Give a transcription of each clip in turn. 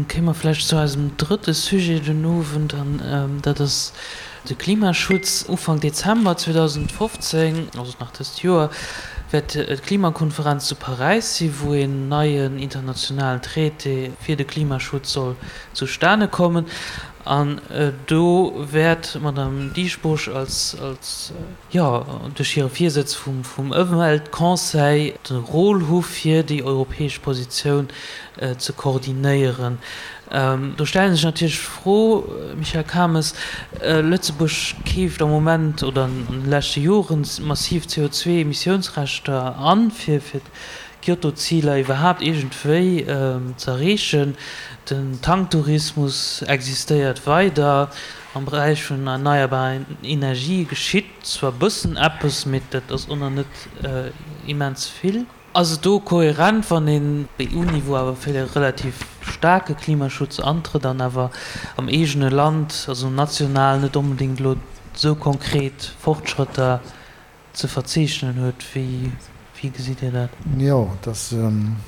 Kéime mer vläicht zu eisem drëtte Sujet den Owend, an dat ass de Klimaschutz. Ufank Dezember 2015, also nach dëst Joer, wäert d'Klimakonferenz zu Paräis sinn, wou een neien internationalen Traité fir de Klimaschutz soll zustane kommen. An do wäert d'Madame Dieschbourg als, jo, duerch hire Virsëtz vum Ëmweltconseil de Rôle hu fir déi europäesch Positioun ze koordinéieren. Do stellen sech natierlech d'Fro, Michel Cames, Lëtzebuerg keeft am Moment oder an de leschte Jore massiv CO2-Emissiounsrechter an, fir d'Kyoto-Ziler iwwerhaapt iergendwéi ze erreechen. Den Tanktourismus existéiert weider. Am Beräich vun erneierbaren Energië geschitt zwar bëssen eppes, mee dat ass och nach net immens vill. Ass et do kohärent, wann een op EU-Niveau awer fir e relativ staarke Klimaschutz antrëtt an awer am eegene Land, also national, net onbedéngt elo esou konkret Fortschrëtter ze verzeechnen huet? Wéi gesitt Dir dat? Jo, et ass, ech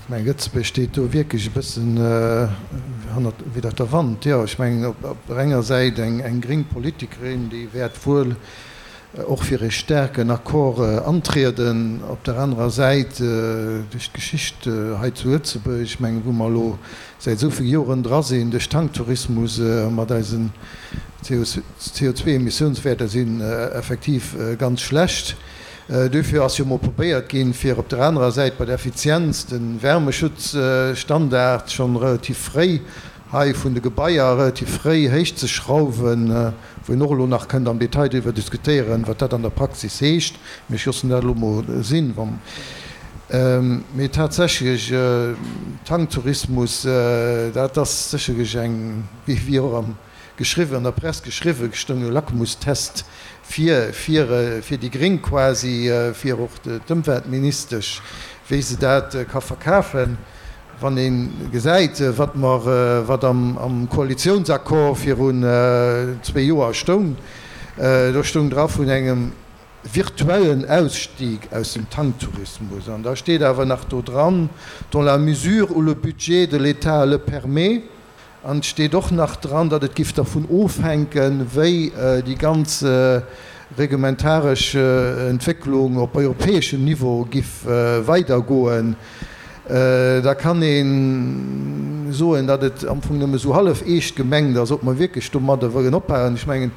mengen, Lëtzebuerg steet do wierklech e bëssen hannert, widder der Wand. Jo, ech mengen, op der enger Säit eng gréng Politikerin, déi wäert wuel och fir e staarken Accord antrieden, op der anerer Säit duerch d'Geschicht hei zu Lëtzebuerg, ech mengen, wou mer elo säit esou vill Joren dra sinn, duerch Tanktourismus mat eisen CO2-Emissiounswäerter sinn effektiv ganz schlecht. Duerfir ass jo mol probéiert ginn, fir op der anerer Säit bei der Effizienz de Wärmeschutzstandard schonn relativ fréi hei vun de Gebaier relativ fréi héich ze schrauwen, wou een och elo nach kënnt am Detail driwwer diskutéieren, wat dat an der Praxis heescht, mee ech loossen dat elo mol sinn. Mee tatsächlech, Tanktourismus, dat ass sécherlech eng, wéi och am geschriwwen, an der Press geschriwwen stoung, e Lackmustest fir, fir, fir déi Gréng quasi, fir och d'Ëmweltministesch, wéi se dat ka verkafen. Wann ee gesäit, wat mer, wat am Koalitiounsaccord virun zwee Joer stoung, do stoung dra vun engem virtuellen Ausstieg aus dem Tanktourismus. An da steet awer nach do dran, dans la mesure où le budget de l'État le permet. An et steet och nach dran, datt et giff dervun ofhänken, wéi déi ganz reglementaresch Entwécklung op europäeschem Niveau giff weidergoen. Da kann ee soen, datt et am Fong nëmme esou hallef eescht gemengt ass, ob mer wierklech domadder wëllen ophalen. Ech mengen,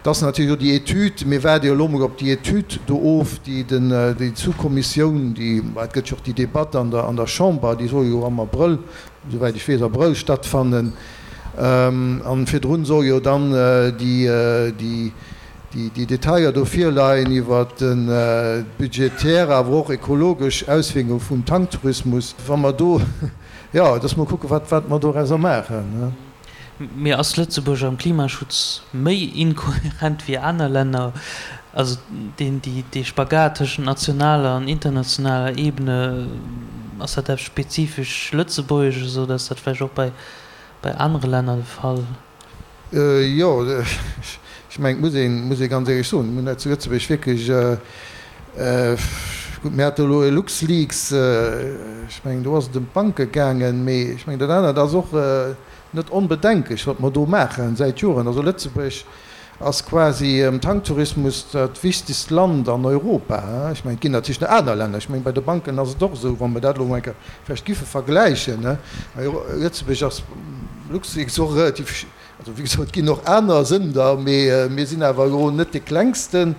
et ass natierlech och déi Etüd, mir waarde jo elo emol op déi Etüd do of, déi den, déi Sous-Kommissioun, déi, et gëtt jo och déi Debatt an der, an der Chamber, déi soll jo am Abrëll, souwäit ech weess, Abrëll stattfannen. An virdrun soll jo dann déi, déi Detailer do virleien iwwert d'budgetär, awer och ekologesch Auswierkunge vum Tanktourismus. Wa mer do, jo, et ass mol kucken, wat, wat mer dorauser maachen. Mee ass Lëtzebuerg am Klimaschutz méi inkohärent wéi aner Länner? Also deen, déi, dee Spagat tëschent nationaler an internationaler Ebene, ass dat eppes spezifesch Lëtzebuergesches oder ass dat vläicht och bei, bei anere Länner de Fall? Jo, ech mengen, et muss een, muss ee ganz éierlech soen, mir hunn hei zu Lëtzebuerg wierklech, gutt, mir hate elo e LuxLeaks, ech mengen, do ass et ëm d'Banke gaangen, mee ech mengen, dat anert ass och net onbedenklech, wat mer do maachen säit Joren. Also Lëtzebuerg ass quasi am Tanktourismus dat wichtegst Land an Europa. Ech mengen, et ginn natierlech nach aner Länner. Ech mengen, bei de Banken ass et och esou, wa mer dat elo emol eng Kéier vläicht giffe vergläichen. Lëtzebuerg ass LuxLeaks och relativ, also wéi gesot, et ginn och aner Sënder, mee mir sinn awer elo net dee klengsten.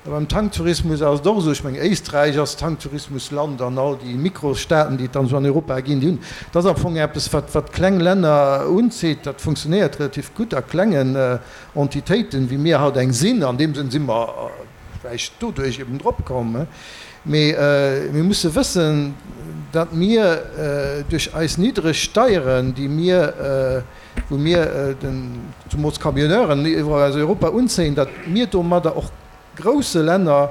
A beim Tanktourismus ass et och esou, ech mengen, Éisträich ass Tanktourismusland an all déi Mikrostaaten, déi et dann esou an Europa ginn, déi hunn, dat ass am Fong eppes, wat wat kleng Länner unzitt, dat funktionéiert relativ gutt a klengen Entitéiten, wéi mir haut eng sinn. An deem Sënn si mer vläicht doduerch eben drop komm. Mee mir musse wëssen, datt mir duerch eis niddreg Steieren, déi mir, wou mir den, zumools d'Camionneuren iwwerall aus Europa unzéien, datt mir domadder och grousse Länner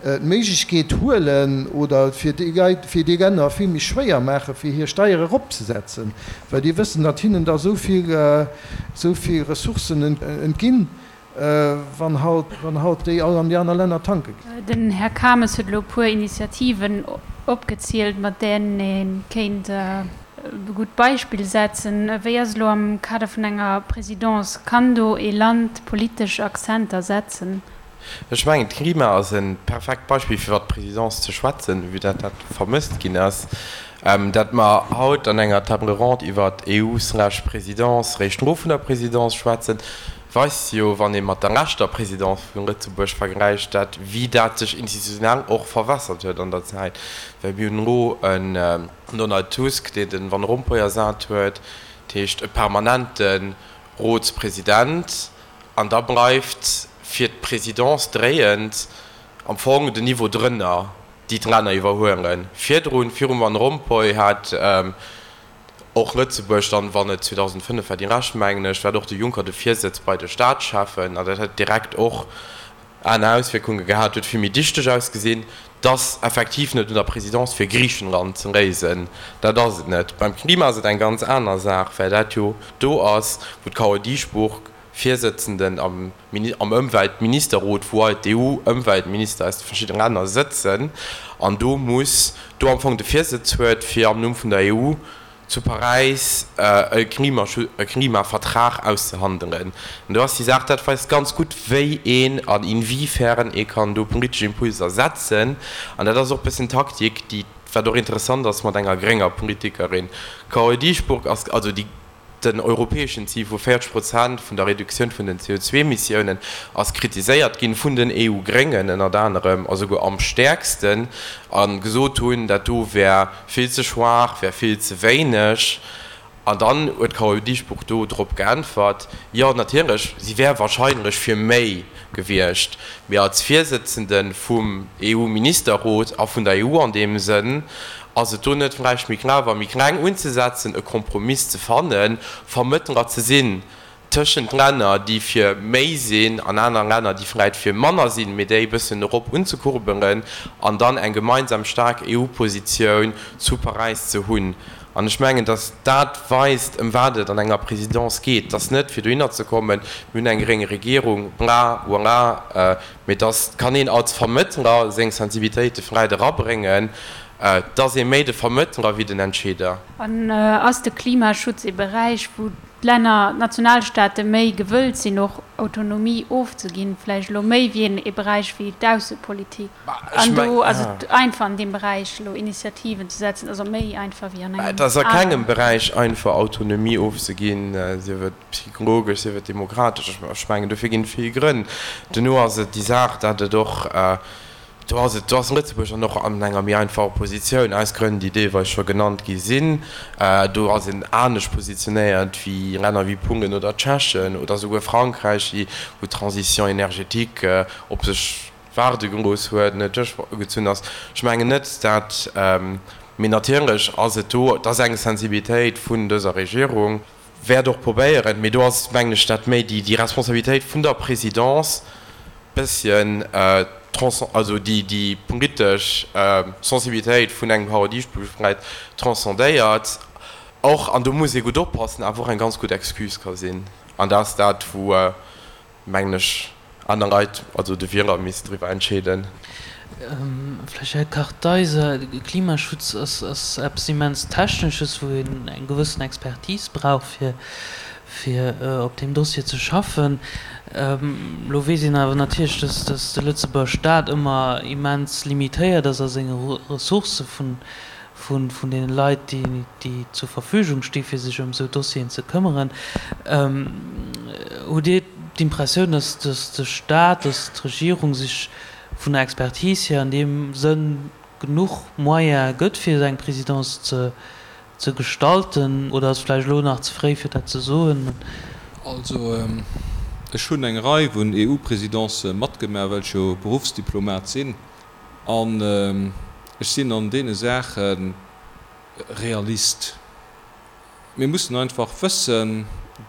d'Méiglechkeet huelen oder fir déi Leit, fir déi Länner vill méi schwéier maachen, fir hir Steiere eropzesetzen, well déi wëssen, datt hinnen da esou vill, esou vill Ressourcen entginn, wann haut, wann haut déi all an déi aner Länner tanke ginn. Den Här Kames huet elo e puer Initiativen opgezielt, mat deenen ee kéint. e gutt Beispill setzen. Wéi ass et elo am Kader vun enger Présidence? Kann do ee Land politesch Akzenter setzen? Ech mengen, d'Klima ass e perfekt Beispill, fir iwwer d'Présidence ze schwätzen, vue dat dat vermësst ginn ass. Dat mer haut an enger Table ronde iwwer d'EU slash Présidence réischt no vun der Présidence schwätzen, weist jo, wann ee mat der leschter Présidence vu Lëtzebuerg vergläicht, dat wéi dat sech institutionell och verwässert huet an der Zäit. Well mir hunn elo en Donald Tusk, deen de Van Rompuy ersat huet, dat heescht e permanente Rotspresident, an da bleift fir d'Présidence dréiend am Fong den Niveau drënner, déi d'Länner iwwerhuelen. Virdrun, virum Van Rompuy, hat och Lëtzebuerg dann, wann et 2005 war, déi lescht, mengen ech, hat och de Juncker de Virsëtz bei de Staatscheffen, an dat hätt direkt och aner Auswierkunge gehat, huet vill méi dichteg ausgesinn. Et ass effektiv net un der Présidence fir Griichenland ze léisen, dat ass et net. Beim Klima ass et eng ganz aner Saach, well dat jo do ass, wou d'Carole Dieschbourg Virsëtzenden am am Ëmweltministerrot, wou all d'EU-Ëmweltminister aus de verschiddene Länner sëtzen, an do muss do am Fong de Virsëtz huet, fir am Numm vun der EU zu Paräis e Klimavertrag auszehandelen. An do ass déi Saach, dat weist ganz gutt, wéi een an inwiefern ee kann do politesch Impulser setzen. An dat ass och e bëssen Taktik, déi, wat och interessant ass, mat enger grénger Politikerin, Carole Dieschbourg, ass, also déi Den europäeschen Zil vu 40 Prozent vun der Reduktioun vun den CO2-Emissiounen ass kritiséiert ginn, vun den EU-Gréngen ënnert anerem, a souguer am stäerksten, a gesot hunn, dat do wär vill ze schwaach, wär vill ze wéineg. An dann huet d'Carole Dieschbourg do drop geäntwert, jo natierlech, si wär wahrscheinlech fir méi gewiescht, mee als Virsëtzende vum EU-Ministerrot a vun der EU an deem Sënn, Ass et do net vläicht méi clever, méi kleng unzesetzen, e Kompromiss ze fannen, Vermëttler ze sinn tëschent Länner, déi fir méi sinn, an aner Länner, déi vläicht fir manner sinn, mee déi e bëssen erop unzekurbelen an dann eng gemeinsam staark EU-Positioun zu Paräis ze hunn? An ech mengen, datt dat weist, ëm wat et an enger Présidence geet. Et ass net, fir dohinner ze kommen, mir hunn eng gréng Regierung, bla, voilà, Mee dass kann een als Vermëttler seng Sensibilitéite vläit erabréngen. Et ass ee méi de Vermëttler wéi den Entscheeder. An ass de Klimaschutz ee Beräich, wou d'Länner, d'Nationalstaate méi gewëllt sinn, och Autonomie ofzeginn, vläicht elo méi wéi een ee Beräich wéi d'Aussepolitik? An do ass et einfach an deem Beräich elo Initiativen ze setzen, also méi einfach wéi an engem Et ass a kengem Beräich einfach Autonomie ofzeginn, sief et psychologesch, sief et demokratesch, ech mengen dofir ginn et vill Grënn. Duerno ass et déi Saach, datt et och, do ass et, do ass Lëtzebuerg dann och an enger méi einfacher Positioun, aus Grënn, déi deelweis scho genannt gi sinn. Do ass een anescht positionéiert wéi Länner wéi Polen oder Tschechen oder souguer Frankräich, déi, wou d'Transition énergétique op sech waarde gelooss huet, net duerchgezunn ass. Ech mengen net, dat, mee natierlech ass et do, et ass eng Sensibilitéit vun dëser Regierung, wäert och probéieren, mee do ass, mengen ech, dat méi déi déi Responsabilitéit vun der Présidence bësschen also déi déi politesch Sensibilitéit vun engem Howard Dieschbourg vläit transcendéiert och, an do muss ee gutt oppassen, awer och eng ganz gutt Excuse ka sinn. An dat ass dat, wou mengen ech, aner Leit, also de Wieler misst driwwer entscheeden. Vläicht Här Kartheiser, Klimaschutz ass eppes immens Technesches, wou een eng gewëssen Expertise brauch, fir op deem Dossier ze schaffen. Elo weess een awer natierlech, datt de Lëtzebuerger Staat ëmmer immens limitéiert ass a senge Ressourcë vun vun deene Leit, déi zur Verfügung sti fir sech ëm esou Dossieren ze këmmeren. Hutt Dir d'Impressioun, datt de Staat, datt d'Regierung sech vun der Expertise hier an deem Sënn genuch Moyene gëtt, fir esou eng Présidence ze gestalten, oder ass et vläicht elo nach ze fréi fir dat ze soen? Also ech hunn eng Rei vun EU-Présidencë matgemaach, well ech jo Beruffsdiplomat sinn. An ech sinn an deene Saache Realist. Mir mussen einfach wëssen,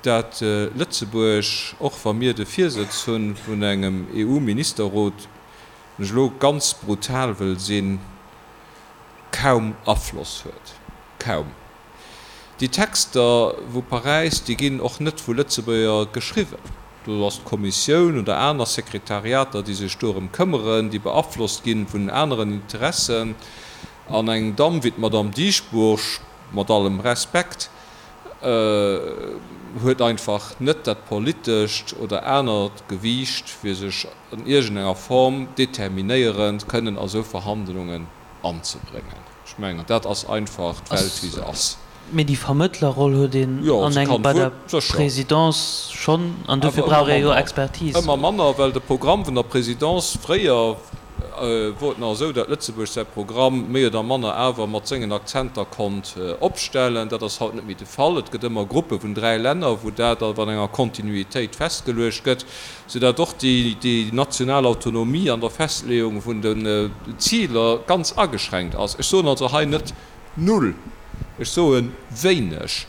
dat Lëtzebuerg, och wa mir de Virsëtz hu vun engem EU-Ministerrot, wann ech elo ganz brutal wëll sinn, kaum Afloss huet. Kaum. Déi Texter vu Paräis, déi ginn och net vu Lëtzebuerger geschriwwen. Do ass d'Kommissioun oder aner Sekretariater, déi sech dorëm këmmeren, déi beaflosst gi vun aneren Interessen. An eng Damm wéi d'Madame Dieschbourg. mat allem Respekt, huet einfach net dat politescht oder anert Gewiicht, fir sech an iergendenger Form determinéierend kënnen a sou Verhandlungen anzebréngen. Ech mengen, dat ass einfach d'Welt, wéi se ass. Mee déi Vermëttlerroll huet een an engem bei der Présidence schonn, an dofir brauch ee jo Expertise. Ëmmer manner, well de Programm vun der Présidence, fréier wor et nach esou, datt Lëtzebuerg säi Programm méi oder manner awer mat sengen Akzenter konnt opstellen. Dat ass haut net méi de Fall. Et gëtt ëmmer Gruppe vun 3 Länner, wou dat awer an enger Kontinuitéit festgeluecht gëtt, soudatt och déi national Autonomie an der Festleeung vun den Ziler ganz ageschränkt ass. Ech soen also hei net, Null. Ech soe wéineg.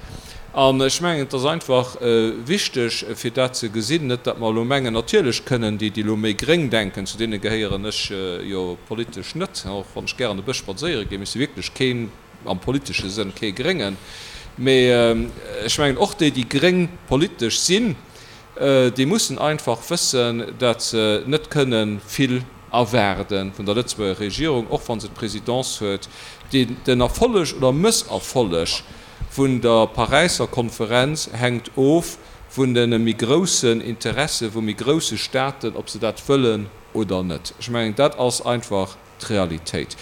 An ech mengen, et ass einfach wichteg, fir dat ze gesinn, net datt mer elo mengen, natierlech kënnen déi, déi elo méi gréng denken, zu deene gehéieren ech jo politesch net, och wann ech gären e bësch spadséiere ginn, mee ech si wierklech keen, am politesche Sënn kee Gréngen, mee ech mengen och déi, déi gréng politesch sinn, déi mussen einfach wëssen, datt se net kënne vill erwaarde vun der Lëtzebuerger Regierung, och wa se d'Présidence huet. Den Erfolleg oder Mësserfolleg vun der Paräisser Konferenz hänkt of vun de méi groussen Interesse vu méi grousse Staaten, ob se dat wëllen oder net. Ech mengen, dat ass einfach d'Realitéit.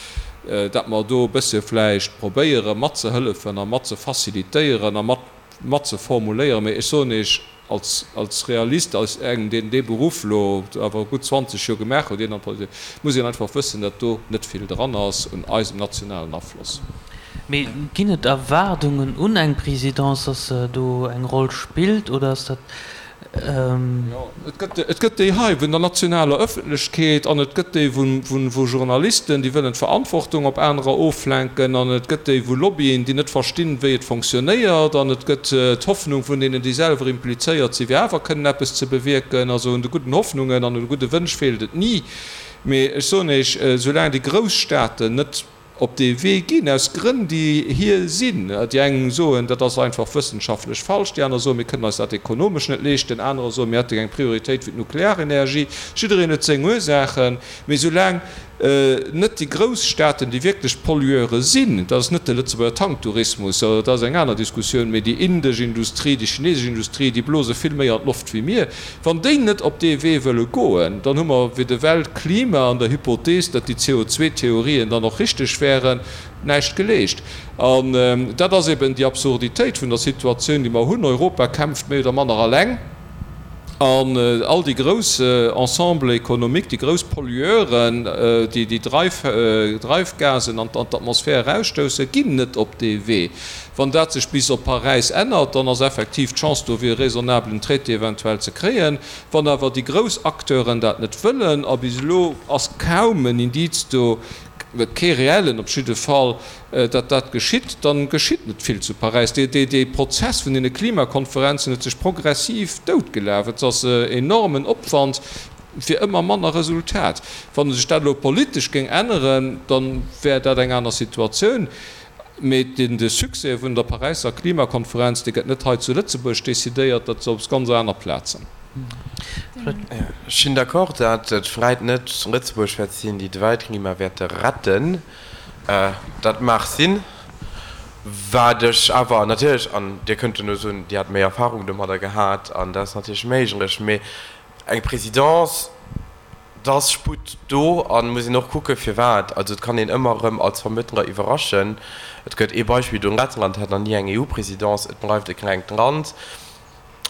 Datt mer do e bësse vläicht probéiere matzehëllefen a mat ze facilitéieren a mat mat ze formuléieren, mee ech soen Iech als, als Realist, als engem, deen dee Beruff elo awer gutt 20 Joer gemaach huet, ier en an d'Politik, muss een einfach wëssen, datt do net vill dran ass un eisem nationalen Afloss. Mee ginn et Erwaardungen un eng Présidence, datt se do eng Roll spillt, oder ass dat Jo, et gëtt, et gëtt déi hei vun der nationaler Ëffentlechkeet an et gëtt déi vu, vu Journalisten, déi wëllen d'Verantwortung op anerer oflenken an et gëtt déi vu Lobbyen, déi net verstinn, wéi et fonctionnéiert an et gëtt d'Hoffnung vun deenen, déi selwer implizéiert sinn, fir awer kënnen eppes ze bewierken. Also un de gudden Hoffnungen an un de gudde Wënsch feelt et ni. Mee ech soen Iech, soulaang déi grouss Staaten net op dee Wee ginn, aus Grënn, déi hir sinn. Déi eng soen, dat ass einfach wëssenschaftlech falsch, déi aner soen, mir kënnen eis dat ekonomesch net leeschten, anerer soen, mir hätte eng Prioritéit fir d'Nuklearenergie. Jiddereen huet seng Ursaachen. Mee soulaang net déi grouss Staaten, déi wierklech Pollueure sinn, dat ass net de Lëtzebuerger Tanktourismus, dat ass eng aner Diskussioun, mee déi indesch Industrie, déi chinesesch Industrie, déi blose vill méi an d'Loft wéi mir, Wann déi net op dee Wee wëlle goen, dann hu mer fir de Weltklima an der Hypothees, datt déi CO2-Theorien dann och richteg wären, näischt geleescht. An dat ass eben déi Absurditéit vun der Situatioun, déi mer hunn. Europa kämpft méi oder manner alleng an all déi grouss Ensembles économiques, déi grouss Pollueuren, déi déi Dreifgasen an d'Atmosphär erausstoussen, ginn net op dee Wee. Wann dat sech bis op Paräis ännert, dann ass effektiv d'Chance do fir e raisonnablen Traité eventuell ze kréien. Wann awer déi grouss Acteuren dat net wëllen, a bis elo ass kaum en Indiz do, kee reellen op jidde Fall, datt dat geschitt, da geschitt net vill zu Paräis. Dee Prozess vun deene Klimakonferenzen huet sech progressiv doutgelaf. Et ass enormen Opwand fir ëmmer manner Resultat. Wa sech dat elo politesch géing änneren, da wär dat eng aner Situatioun. Mee de Succès vun der Paräisser Klimakonferenz, dee gëtt net hei zu Lëtzebuerg decidéiert, dat ass op ganz aner Plazen. Ech sinn d'accord, datt et vläit net Lëtzebuerg wäert sinn, déi d'Weltklima wäerte retten. Dat mag sinn. Wat ech awer natierlech, an Dir kënnt duerno soen, Dir hätt méi Erfahrung domadder gehat, an dat ass natierlech méiglech, mee eng Présidence, Et ass Sputt do an muss een och kucken firwat. Also et kann een ëmmer erëm als Vermëttler iwwerraschen. Et gëtt ee Beispill do, Lettland hat nach ni eng EU-Présidence, et bleift e klengt Land.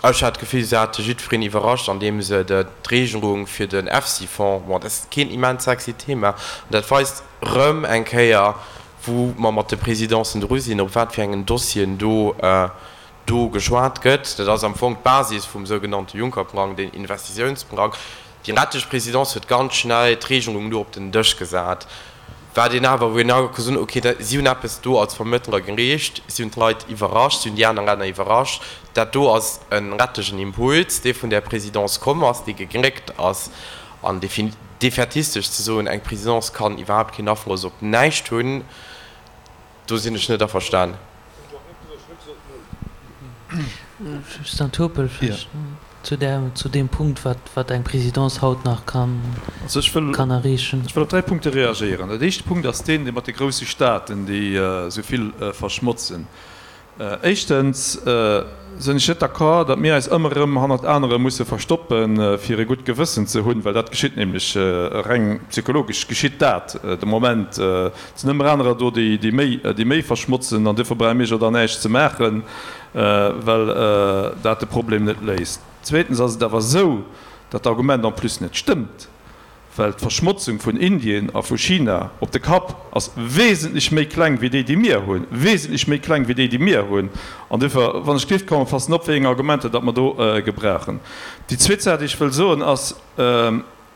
Ech hat d'Gefill se hate jiddwereen iwwerrascht andeem se d'Regelung fir den EFSI-Fonds, bon dat ass keen immens sexy Thema, an dat weist erëm eng Kéier wou mer mat de Présidencen dru sinn, op wat fir engen Dossieren do do geschwat gëtt. Dat ass am Fong d'Basis vum sougenannte Juncker-Plang, deen Investitiounsplang. Déi lettesch Présidence huet ganz schnell d'Regelung do op den Dësch gesat, wat een awer, wou een awer ka soen, okay, si hunn eppes do als Vermëttler gereecht, si hunn d'Leit iwwerrascht, si hunn déi aner Länner iwwerrascht. Dat do ass e rettegen Impuls, dee vun där Présidence komm ass, dee gegléckt ass. An defaitistesch ze soen, eng Présidence kann iwwerhaapt keen Afloss op näischt hunn, Do sinn ech net averstan. Stan Turpel vläicht zu där, zu deem Punkt, wat, wat eng Présidence haut nach kann, Also ech wëll, kann erreechen. ech wëll op 3 Punkte reagéieren. Dat éischte Punkt ass deen, dee mat de grousse Staaten, déi esou vill verschmotzen. Éischtens sinn ech net d'accord, datt mir eis ëmmer erëm hannert anere musse verstoppen, fir e gutt Gewëssen ze hunn, well dat geschitt nämlech, reng psychologesch geschitt dat de Moment. Et sinn ëmmer anerer do, déi méi, déi méi verschmotzen, an duerfir brauche mir jo da näischt ze maachen, well dat de Problem net léist. Zweetens ass et awer esou, datt d'Argument en plus net stëmmt. Well d'Verschmotzung vun Indien a vu China op de Kapp ass wesentlech méi kleng wéi déi, déi mir hunn, wesentlech méi kleng wéi déi, déi mir hunn. An duerfir, wann ech géif kommen, passen op, wéi eng Argumenter datt mer do gebrauchen. Déi zweet Saach, déi ech wëll soen, ass,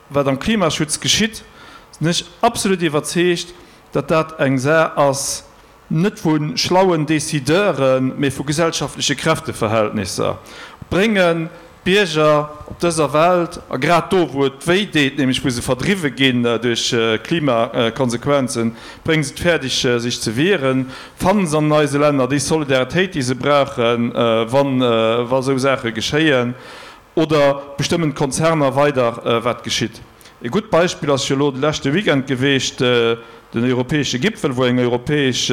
Wat am Klimaschutz geschitt, sinn ech absolut iwwerzeegt, datt dat eng Saach ass, net vu schlauen Décideuren, mee vu gesellschaftleche Kräfteverhältnisser, bréngen d'Bierger op dëser Welt, a grad do wou et wéi deet, nämlech wou se verdriwwe ginn duerch Klimakonsequenzen, brénge se et fäerdeg sech ze wieren, fannen se an eise Länner déi Solidaritéit déi se brauchen, wa sou Saache geschéien. Oder bestëmmen d'Konzerner weider, wat geschitt? E gutt Beispill ass jo elo de leschte Weekend geweecht, den europäesche Gipfel, wou eng europäesch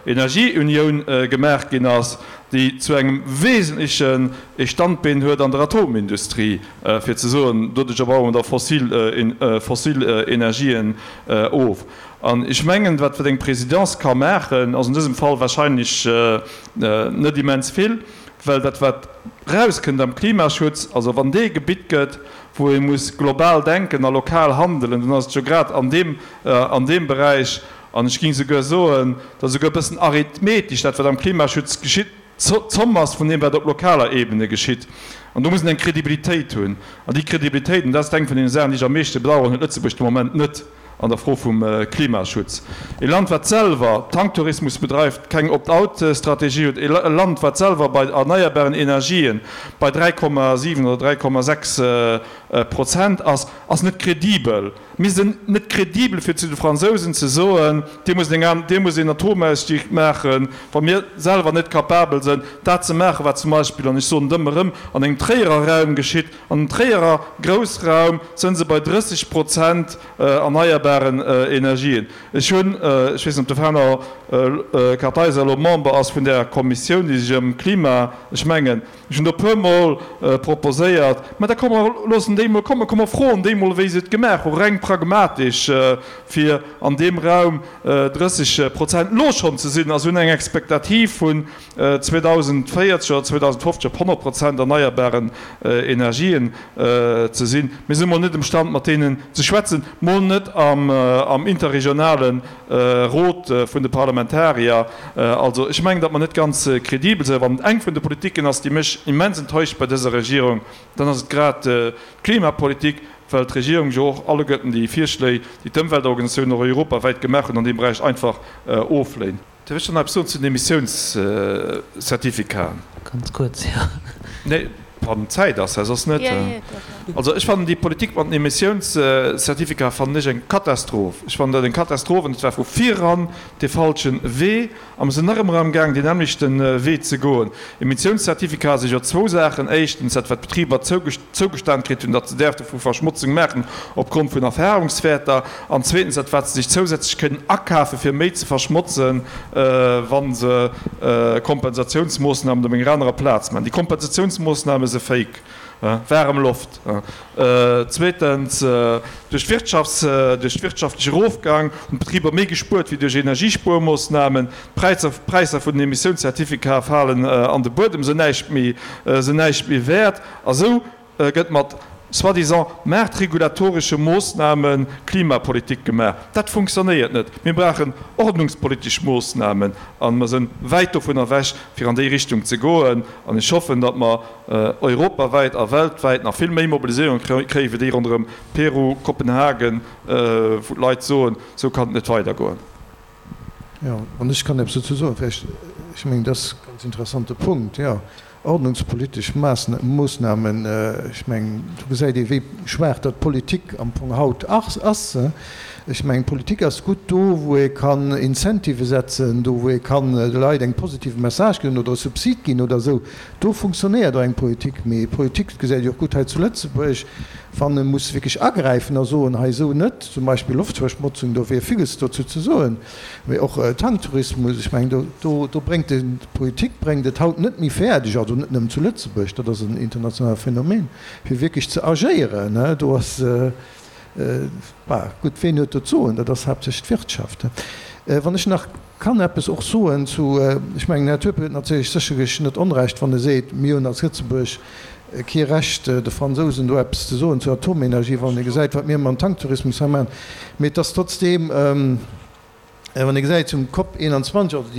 Energieunioun gemaach ginn ass, déi zu engem wesentlechen e Standbeen huet an der Atomindustrie, fir ze soen, doduercher baue mer da fossil Energien of. An ech mengen, wat eng Présidence ka maachen, ass an dësem Fall wahrscheinlech net immens vill. Well dat wat rauskënnt am Klimaschutz, also wann dee Gebitt gëtt, wou ee muss global denken a lokal handelen, dann ass et jo grad an deem, an deem Beräich, an ech géing souguer soen, datt esouguer e bëssen arithmetesch dat wat am Klimaschutz geschitt, d'Zomm ass vun deem wat op lokaler Ebene geschitt. An do muss een eng Kredibilitéit hunn. An déi Kredibilitéit, an dat ass eng vun deene Saachen, déi ech am meeschte bedauern, huet Lëtzebuerg de Moment net. An der Fro vum Klimaschutz. E Land, wat selwer Tanktourismus bedreift, keng Opt-out-Strategie huet, e Land, wat selwer bei erneierbaren Energien bei 3,7 oder 3,6 Prozent ass, ass net kredibel. Mir sinn net kredibel, fir zu de Fransousen ze soen, Dir musst eng, Dir musst een Atomausstieg maachen, wa mir selwer net kapabel sinn, dat ze maachen, wat zum Beispill, an ech soen et ëmmer erëm, an engem Tréierer Raum geschitt. An den Tréierer Groussraum sënn se bei 30 Prozent erneierbaren Energien. Ech hunn, ech weess net, ob de Fernand Kartheiser elo Member ass vun där Kommissioun, déi sech ëm Klima, ech mengen, ech hunn do e puermol proposéiert, mä da komm mer loossen déi emol kommen, komm mer froen déi emol, wéi se et gemaach hu reng pragmatesch, fir an deem Raum 30 Prozent elo schonn ze sinn a se hunn eng Expectativ vun 2040 oder 2050 op 100 Prozent erneierbaren Energien ze sinn. Mir si mol net emstand mat deenen ze schwätzen, mol net am interregionale Rot vun de Parlamentarier. Also ech mengen, datt mer net ganz kredibel sinn. Wann et eng vun de Politiken ass, déi mech immens enttäuscht bei dëser Regierung, dann ass et grad d'Klimapolitik, well d'Regierung jo och alleguerten déi Virschléi, déi d'Ëmweltorganisatiounen och europawäit gemaach hunn an deem Beräich, einfach ofléint. Dierf ech dann eppes soen zu den Emissiounscertificaten? Ganz kuerz, jo. Nee, wann Zäit ass, hä, soss net. Also ech fannen déi Politik mat den Emissiounscertificaten fannen ech eng Katastroph. Ech fannen dat eng Katastroph an et war vu viran dee falsche Wee a mer sinn nach ëmmer amgaang deen nämmlechte Wee ze goen. Emissiounscertificaten si jo zwou Saachen. Éischtens dat wat d'Betriber zougestan kritt hunn, datt se däerfte vu Verschmotzung maachen opgrond vun Erfahrungswäerter, an zweetens dat wat se sech zousätzlech kënnen akafe fir méi ze verschmotzen, wa se Kompensatiounsmoossnamen op enger anerer Plaz maachen. Déi Kompensatiounsmoossname se fake, waarem Loft. Zweetens, duerch d'Wirtschafts-, duerch de wirtschaftleche Erofgang hunn d'Betriber méi gespuert wéi duerch Energiespuermoossnamen. D'Präisser, d'Präisser vun den Emissiounscertificaten falen an de Buedem, sinn näischt méi, sinn näischt méi wäert. A sou gëtt mat soi-disant maartregulatoresche Moossname Klimapolitik gemaach. Dat funktionéiert net. Mir brauchen ordnungspolitesch Moossnamen a mer sinn wäit dovun ewech, fir an déi Richtung ze goen. An ech hoffen, datt mer europawäit a weltwäit nach vill méi Mobiliséierung kréien, wéi déi ronderëm Peru, Kopenhagen, wou d'Leit soen, sou kann et net weidergoen. Jo, wann ech kann eppes dozou soen, vläicht, ech mengen, dat ass e ganz interessante Punkt, jo. Ordnungspolitesch Moossnamen, ech mengen, do gesäit ee wéi schwaach datt d'Politik am Fong haut ass. Ech mengen, d'Politik ass gutt do, wou ee kann Incentivë setzen, do wou ee kann de Leit eng positive Message ginn oder e Subsid ginn oder esou. Do funktionéiert och eng Politik. Mee Politik, dat gesäit ee och gutt hei zu Lëtzebuerg, wann e muss wierklech agräifen a soen, hei esou net, zum Beispill Loftverschmotzung, do wier villes dozou ze soen. Mee och Tanktourismus, ech mengen, do, do, do bréngt de, d'Politik bréngt et haut net méi fäerdeg, also net nëmmen zu Lëtzebuerg, dat ass en internationale Phänomen, fir wierklech ze agéieren. Do ass, bah, gutt, ween huet do d'Soen? Dat ass haaptsächlech d'Wirtschaft. Wann ech nach kann eppes och soen zu, ech mengen, den Här Turpel huet natierlech sécherlech net Onrecht, wann e seet, mir hunn als Lëtzebuerg kee Recht, de Fransousen do eppes ze soen zur Atomenergie, wann ee gesäit, wat mir mam Tanktourismus hei maachen. Mee et ass trotzdeem, wann ee gesäit zum Cop 21, also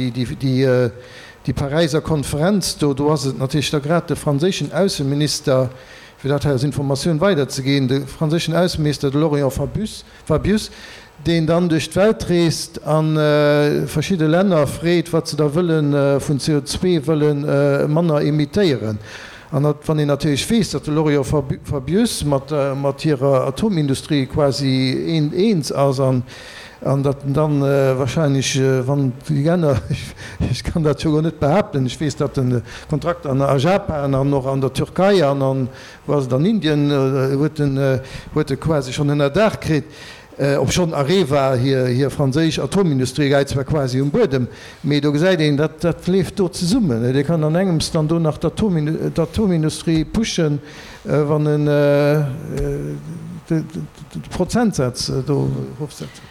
déi Paräiser Konferenz do, do ass et natierlech da grad de franséischen Ausseminister, fir dat hei als Informatioun weiderzeginn, de franséischen Ausseminister, de Laurent Fabius, Fabius, deen dann duerch d'Welt reest a verschidde Länner freet, wat se da wëlle vun CO2 wëlle manner emittéieren. An wann een natierlech weess, datt de Laurent Fabius mat hirer Atomindustrie quasi eens ass an datt en dann wahrscheinlech, wann déi Länner, ech kann dat jo elo net behaapten, ech weess, datt en Kontrakter a Japan an och an der Türkei an an Wou ass et? An Indien huet en huet e quasi schonn ënnerdaach kritt, obschonn Areva, hir hir franséisch Atomindustrie, läit zwar quasi um Buedem, mee do gesäit een, dat dat leeft do zesummen. Dee kann an engems dann do nach d'Atomindustrie pushen, wann en de Prozentsaz do erofsetzt.